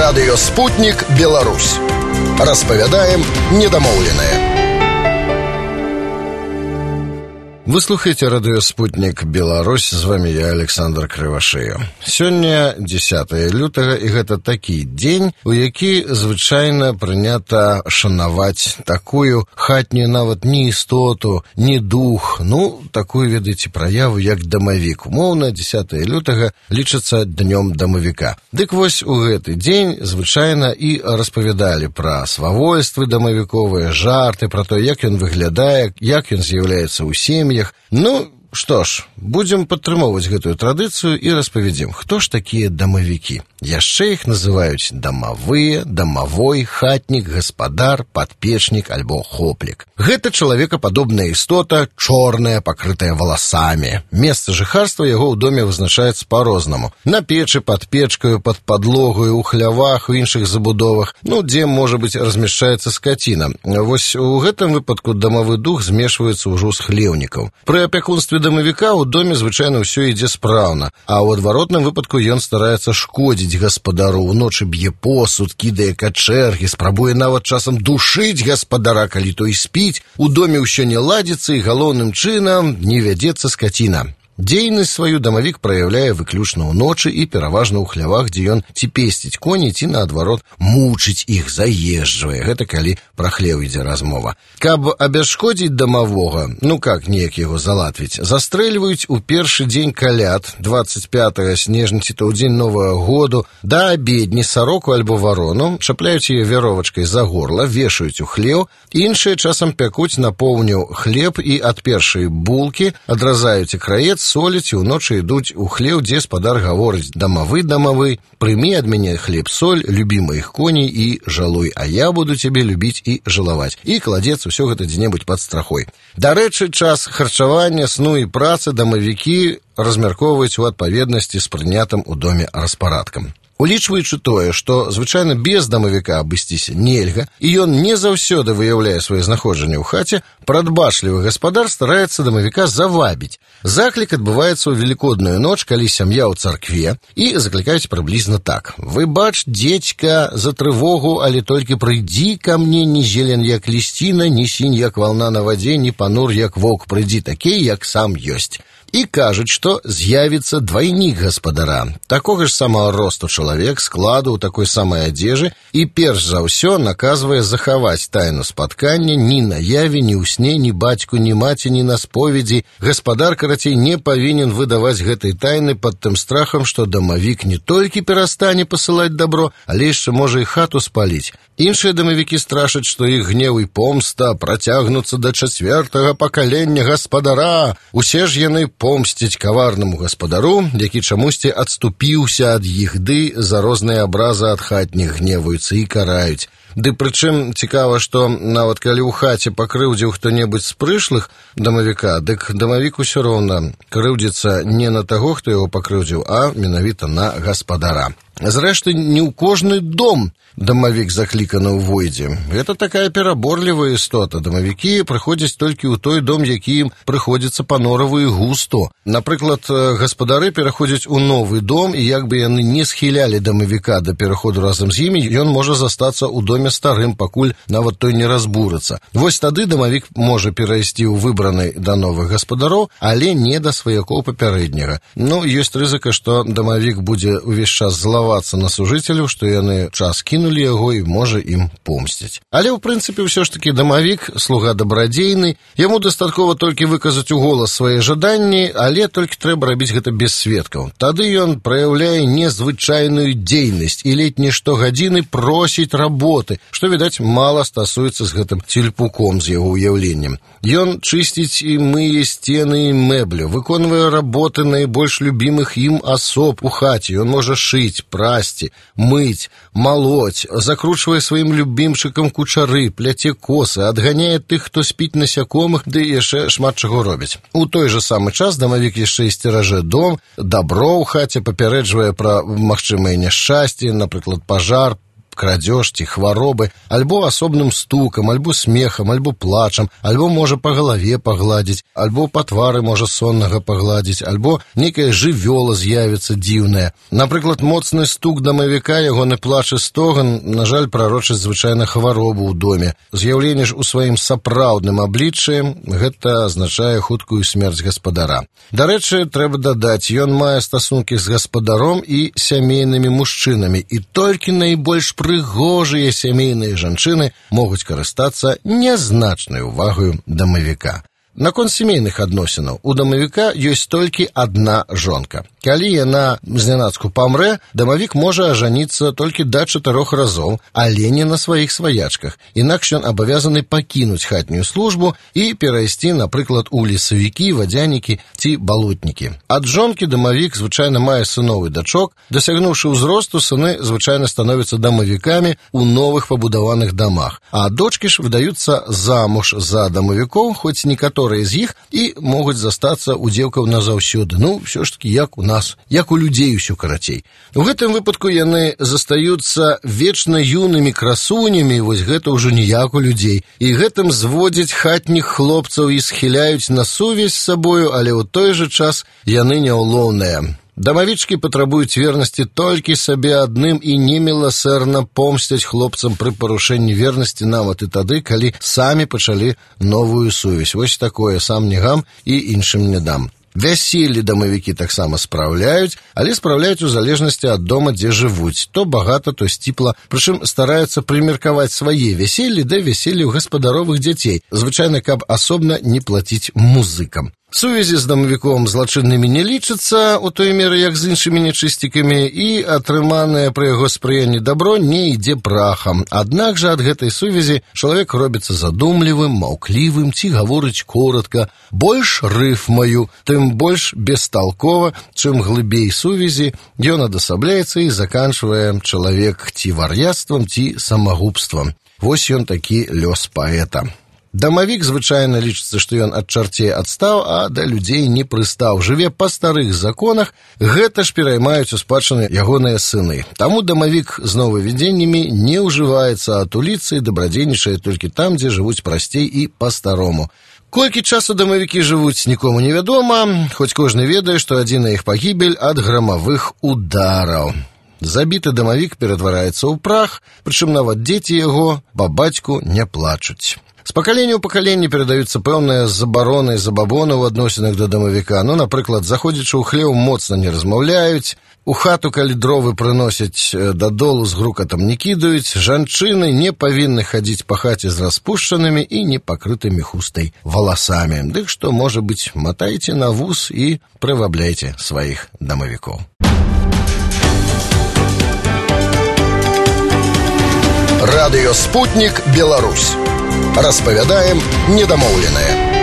Радыё «Спутник Беларусь». Распавядаем недамоўленае. Вы слухаете радыё «Спутник Беларусь», з вами я, Александр Крывашея. Сёння 10 лютага, і гэта такі дзень, у які звычайна прынята шанаваць такую хатнюю нават не істоту, не дух, такую, ведаеце, праяву, як дамавік. Умоўна, 10 лютага лічыцца днём дамавіка. Дык вось у гэты дзень звычайна і распавядалі пра свавольствы дамавіковыя, жарты, пра то, як ён выглядае, як ён з'яўляецца ў сем'ях. Што ж, будзем падтрымоўваць гэтую традыцыю і распавядзем, хто ж такія дамавікі. Яшчэ іх называюць дамавыя, дамавой, хатнік, гаспадар, падпечнік альбо хоплік. Гэта чалавекападобная істота, чорная, пакрытая валасамі. Месца жыхарства яго ў доме вызначаецца па-рознаму. На печы, пад печкаю, пад падлогаю, у хлявах, у іншых забудовах, дзе, можа быць, размяшчаецца скаціна. Вось у гэтым выпадку дамавы дух змешваецца ўжо з хлеўнікаў. Пры апякунстве дамавіка ў доме звычайна ўсё ідзе спраўна, а ў адваротным выпадку ён стараецца шкодзіць гаспадару, уночы б'е посуд, кідае качэргі, спрабуе нават часам душыць гаспадара, калі той спіць, у доме ўсё не ладзіцца і галоўным чынам не вядзецца скаціна. Дзейнасць сваю дамавік праяўляе выключна ўночы і пераважна ў хлявах, дзе ён ці песціць коней, ці наадварот мучыць іх, заезджвае. Гэта калі пра хлеў ідзе размова. Каб абясшкодзіць дамавога, неяк яго залатвіць, застрэльваюць у першы дзень каляд, 25 снежня ці то ў дзень Новага году, да абедні сароку альбо варону, чапляюць яе вяровачкай за горла, вешаюць у хлеў, іншыя часам пякуць на поўню хлеб і ад першай булкі адразаюць краец, соліць, і ўночы ідуць у хлеў, дзе спадар гаворыць: дамавы, прымі ад мяне хлеб-соль, любі маіх коней і жалуй, а я буду цябе любіць і жалаваць. І кладзецца ўсё гэта дзе-небудзь пад страхой. Дарэчы, час харчавання, сну і працы дамавікі размяркоўваюць у адпаведнасці з прынятым у доме распарадкам. Улічваючы тое, што звычайна без дамавіка абысціся нельга, і ён не заўсёды выяўляе сваё знаходжанне ў хаце, прадбачлівы гаспадар стараецца дамавіка завабіць. Заклік адбываецца ў велікодную ноч, калі сям'я ў царкве, і заклікаюць прыблізна так: «Вы бач, дзедзька, за трывогу, але толькі прыйдзі ка мне, ні зелен як лісціна, ні сінь як вална на вадзе, ні панур як воўк, прыйдзі такі, як сам ёсць». І кажуць, што з'явіцца двайнік гаспадара, такога ж самага росту чалавек, складу ў такой самай адзежы, і перш за ўсё наказвае захаваць тайну спаткання, ні на яве, ні ў сне, ні бацьку, ні маці, ні на споведзі. Гаспадар, карацей, не павінен выдаваць гэтай тайны пад тым страхам, што дамавік не толькі перастане пасылаць дабро, але яшчэ можа і хату спаліць. Іншыя дамавікі страшаць, што іх гнеў і помста працягнуцца да 4-го пакалення гаспадара. Усе ж яны помсціць каварнаму гаспадару, які чамусьці адступіўся ад іх, ды за розныя абразы ад хатніх гневаюцца і караюць. Ды прычым цікава, што нават калі ў хаце пакрыўдзіў хто-небудзь з прышлых дамавіка, дык дамавік усё роўна крыўдзіцца не на таго, хто яго пакрыўдзіў, а менавіта на гаспадара. Зрэшты, не ў кожны дом дамавік закліканы ўвойдзе. Гэта такая пераборлівая істота. Дамавікі прыходзяць толькі ў той дом, які ім прыходзіцца па-нораву і густо. Напрыклад, гаспадары пераходзяць у новы дом, і як бы яны не схілялі дамавіка да пераходу разам з імі, ён можа застацца ў доме старым, пакуль нават той не разбурыцца. Вось тады дамавік можа перайсці ў выбраны да новых гаспадароў, але не да сваякоў папярэдняга. Ёсць рызыка, што дамавік будзе ўвесь час злавацца на сужыцеляў, што яны час кінулі яго і можа ім помсціць. Але, ў прынцыпе, ўсё ж такі дамавік, слуга дабрадзейны, яму дастаткова толькі выказаць у голас свае жаданні, але толькі трэба рабіць гэта без сведкаў. Тады ён праяўляе незвычайную дзейнасць і ледь не штогадзіны просіць работы, што, відаць, мала стасуецца з гэтым цельпуком з яго ўяўленнем. Ён чысціць і мые сцены і мэблю, выконвае работы найбольш любімых ім асоб у хаце. Ён можа шыць, прасці, мыць, малоць, закручвае сваім любімчыкам кучары, пляце косы, адганяе тых, хто спіць насякомых, ды яшчэ шмат чаго робіць. У той жа самы час дамавік яшчэ і сцеражэ дом, дабро ў хаце, папярэджвае пра магчымыя няшчасці, напрыклад, пажар, крадзеж ці хваробы, альбо асобным стукам, альбо смехам, альбо плачам, альбо можа па галаве пагладзіць, альбо па твары можа соннага пагладзіць, альбо нейкая жывёла з'явіцца дзіўная. Напрыклад, моцны стук дамавіка, ягоны плач і стоган, на жаль, прарочаць звычайна хваробу ў доме. З'яўленне ж у сваім сапраўдным абліччы гэта азначае хуткую смерць гаспадара. Дарэчы, трэба дадаць, ён мае стасункі з гаспадаром і сямейнымі мужчынамі, і толькі найбольш прыгожыя сямейныя жанчыны могуць карыстацца нязначнай увагаю дамавіка. Наконт сямейных адносінаў у дамавіка ёсць толькі адна жонка. Калі яна знянацку памрэ, дамавік можа ажаніцца толькі да 4 разоў, але не на сваіх сваячках. Інакш ён абавязаны пакінуць хатнюю службу і перайсці, напрыклад, у лесавікі, вадзянікі ці балотнікі. Ад жонкі дамавік звычайна мае сыноў і дачок. Дасягнуўшы ўзросту, сыны звычайна становяцца дамавікамі ў новых пабудаваных дамах, а дочкі ж выдаюцца замуж за дамавікоў, хоць некаторыя з іх і могуць застацца у дзеўкаў назаўсёды. Ну, ўсё ж такі, як у нас, як у людзей усё карацей. У гэтым выпадку яны застаюцца вечна юнымі красунямі, вось гэта ўжо не як у людзей. І гэтым зводзяць хатніх хлопцаў і схіляюць на сувязь з сабою, але ў той жа час яны няўлоўныя. Дамавічкі патрабуюць вернасці толькі сабе адным і неміласэрна помсцяць хлопцам пры парушэнні вернасці нават і тады, калі самі пачалі новую сувязь. Вось такое, сам не гам і іншым не дам. Вяселлі дамавікі таксама спраўляюць, але спраўляюць у залежнасці ад дома, дзе жывуць. То багата, то сціпла. Прычым стараюцца прымеркаваць свае вяселлі да вяселляў гаспадаровых дзяцей, звычайна, каб асобна не плаціць музыкам. Сувязі з дамавіком злачыннымі не лічацца у той меры, як з іншымі нячысцікамі, і атрыманае пры яго спрыянні дабро не ідзе прахам. Аднак жа ад гэтай сувязі чалавек робіцца задумлівым, маўклівым ці гаворыць коратка. Больш рыфмаю, тым больш бесталкова, чым глыбей сувязі, ён адасабляецца і заканчвае чалавек ці вар'яцтвам, ці самагубствам. Вось ён такі лёс паэта. Дамавік звычайна лічыцца, што ён ад чарцей адстаў, а да людзей не прыстаў. Жыве па старых законах, гэта ж пераймаюць у спадчыны ягоныя сыны. Таму дамавік з новавядзеннямі не ўжываецца, а туліцца і дабрадзейнічае толькі там, дзе жывуць прасцей і па-старому. Колькі часу дамавікі жывуць, нікому невядома, хоць кожны ведае, што адзіная іх пагібель ад грамавых удараў. Забіты дамавік ператвараецца ў прах, прычым нават дзеці яго па бацьку не плачуць. З пакалення ў пакаленне перадаюцца пэўныя забароны і забабоны ў адносінах да дамавіка. Ну, напрыклад, заходзячы ў хлеў, моцна не размаўляюць, у хату, калі дровы прыносяць дадолу, з грукатам не кідаюць, жанчыны не павінны хадзіць па хаце з распушчанымі і непакрытымі хустай валасамі. Дык што, можа быць, матайце на вус і прывабляйце сваіх дамавікоў. Радыё «Спутнік Беларусь». Распавядаем недамоўленае.